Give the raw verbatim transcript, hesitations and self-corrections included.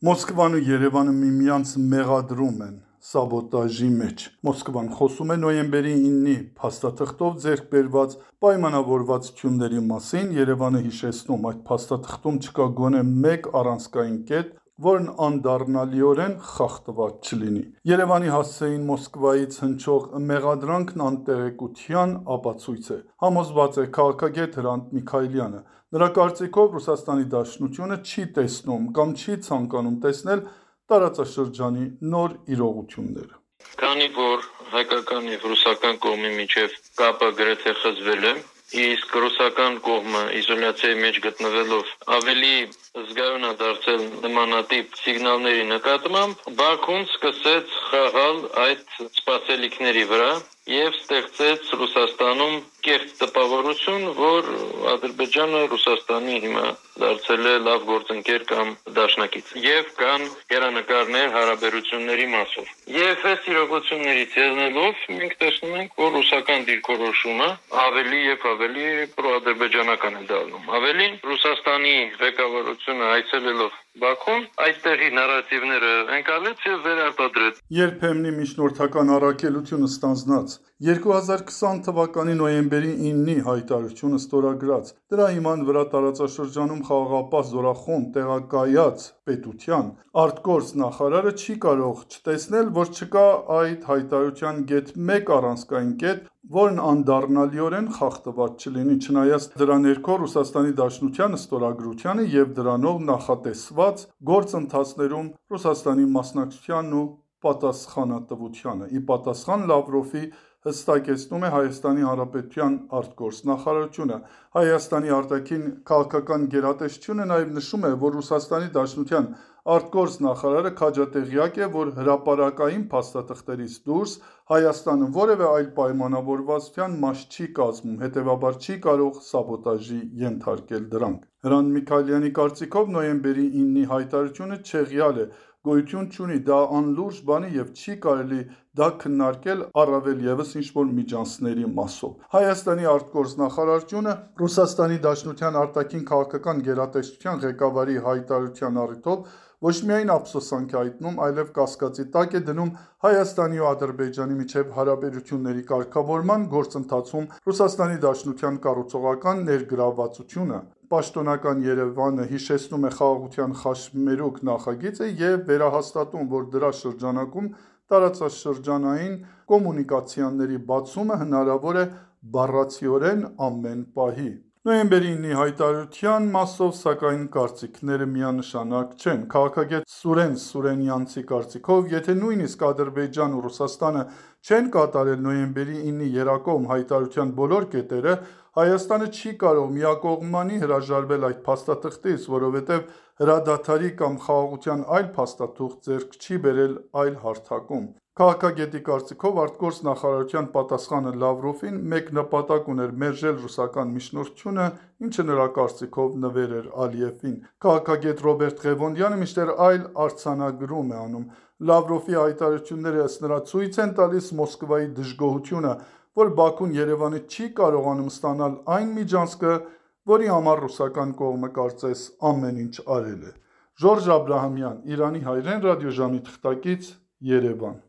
Մոսկվան ու Երևանը միմյանց մեղադրում են սաբոտաժի մեջ։ Մոսկվան խոսում է նոյեմբերի իննի փաստաթղթով ձեռք բերված պայմանավորվածությունների մասին, Երևանը հիշեցնում այդ փաստաթղթում չկա գոնե մեկ առանցքային կետ, որն անդառնալիորեն խախտված չլինի։ Երևանի հասցեին Մոսկվայից հնչող մեղադրանքն անտեղեկության ապացույց է, համոզված է քաղաքագետ Հրանտ Միքայելյանը։ Նրա կարծիքով Ռուսաստանի Դաշնությունը չի տեսնում կամ չի ցանկանում տեսնել տարածաշրջանի նոր իրողությունները։ Քանի որ հայկական եւ ռուսական կողմի միջև կապը գրեթե խզվել է, իսկ ռուսական կողմը իզոլյացիայի մեջ գտնվելով ավելի զգայուն է դարձել նմանատիպ սիգնալների նկատմամբ, Բաքուն սկսեց խաղալ այդ սպասելիքների վրա եւ ստեղծեց Ռուսաստանում կեղծ տպավորություն, որ Ադրբեջանը Ռուսաստանի հիմա դարձել է լավ գործընկեր կամ դաշնակից։ Եվ կան հեռանկարներ հարաբերությունների մասով։ Եվ այս իրողություններից ելնելով մենք տեսնում ենք, որ ռուսական դիրքորոշումը ավելի եւ ավելի պրոադրբեջանական է դառնում։ Ավելին, Ռուսաստանի ղեկավարությունը այցելելով Բաքուն այդտեղի նարատիվները ընկալեց եւ վերարտադրեց։ Երբեմնի միջնորդական առաքելությունը ստանձնած երկու հազար քսան թվականի նոյեմբերի իննի հայտարարությունը ստորագրած, դրա հիման վրա տարածաշրջանում խաղաղապահ զորախումբ տեղակայած պետության արտգործ նախարարը չի կարող չտեսնել, որ չկա այդ հայտարարության գեթ մեկ առանցքային կետ, որն անդառնալիորեն խախտված չլինի, չնայած դրա ներքո Ռուսաստանի Դաշնության ստորագրությանը եւ դրանով նախատեսված գործընթացներում Ռուսաստանի մասնակցությանն ու պատասխանատվությանը։ Ի պատասխան Լավրովի հստակեցնում է Հայաստանի Հանրապետության արտգործնախարարությունը։ Հայաստանի արտաքին քաղաքական գերատեսչությունը նաև նշում է, որ Ռուսաստանի Դաշնության արտգործնախարարը քաջատեղյակ է, որ հրապարակային փաստաթղթերից դուրս Հայաստանը որևէ այլ պայմանավորվածության մաս չի կազմում, հետևաբար չի կարող սաբոտաժի ենթարկել դրանք։ Հրանտ Միքայելյանի կարծիքով նոյեմբերի իննի հայտարարությունը չեղյալ է, գոյություն չունի, դա անլուրջ բան է եւ չի կարելի դա քննարկել առավել եւս ինչ-որ միջանցքների մասով։ Հայաստանի արտգործնախարարությունը Ռուսաստանի Դաշնության արտաքին քաղաքական գերատեսչության ղեկավարի հայտարարության առիթով ոչ միայն ափսոսանք է հայտնում, այլև կասկածի տակ է դնում Հայաստանի ու Ադրբեջանի միջև հարաբերությունների կարգավորման գործընթացում Ռուսաստանի Դաշնության կառուցողական ներգրավվածությունը։ Պաշտոնական Երևանը հիշեցնում է խաղաղության խաչմերուկ նախագիծը եւ վերահաստատում, որ դրա շրջանակում տարածաշրջանային կոմունիկացիաների բացումը հնարավոր է բառացիորեն ամեն պահի։ Նոյեմբերի իննի հայտարարության մասով, սակայն, կարծիքները միանշանակ չեն։ Քաղաքագետ Սուրեն Սուրենյանցի կարծիքով, եթե նույնիսկ Ադրբեջանն ու Ռուսաստանը չեն կատարել նոյեմբերի իննի երակողմ հայտարարության բոլոր կետերը, Հայաստանը չի կարող միակողմանի հրաժարվել այդ փաստաթղթից, որովհետև հրադադարի կամ խաղաղության այլ փաստաթուղթ ձեռք չի բերել այլ հարթակում։ Քաղաքագետի կարծիքով արտգործնախարարության պատասխանը Լավրովին մեկ նպատակ ուներ՝ մերժել ռուսական միջնորդությունը, ինչը նրա կարծիքով նվեր էր Ալիևին։ Քաղաքագետ Ռոբերտ Ղևոնդյանը մինչդեռ այլ արձանագրում է անում։ Լավրովի հայտարարությունները ըստ նրա ցույց են տալիս Մոսկվայի դժգոհությունը, որ Բաքուն Երևանի չի կարողանում ստանալ այն միջանցքը, որի համար ռուսական կողմը կարծես ամեն ինչ արել է։ Ժորժ Աբրահամյան, Իրանի հայրեն ռադիոժամի թղթակից, Երևան։